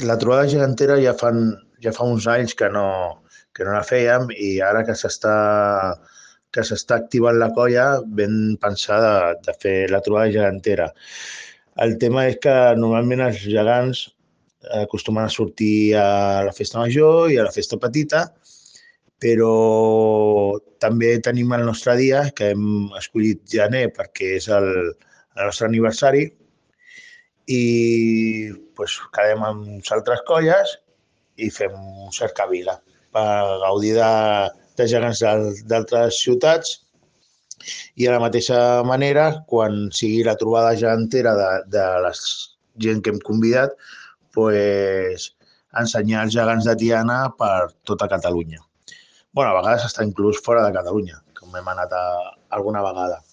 La trobada gegantera ja fa uns anys que no la fèiem i ara que s'està activant la colla vam pensar de fer la trobada gegantera. El tema és que normalment els gegants acostumen a sortir a la festa major i a la festa petita, però també tenim el nostre dia, que hem escollit gener perquè és el nostre aniversari, i pues, quedem amb altres colles i fem un cercavila per gaudir de gegants d'altres ciutats i de la mateixa manera, quan sigui la trobada gegantera de la gent que hem convidat, pues, ensenyar els gegants de Tiana per tota Catalunya. Bueno, a vegades està inclús fora de Catalunya, com hem anat alguna vegada.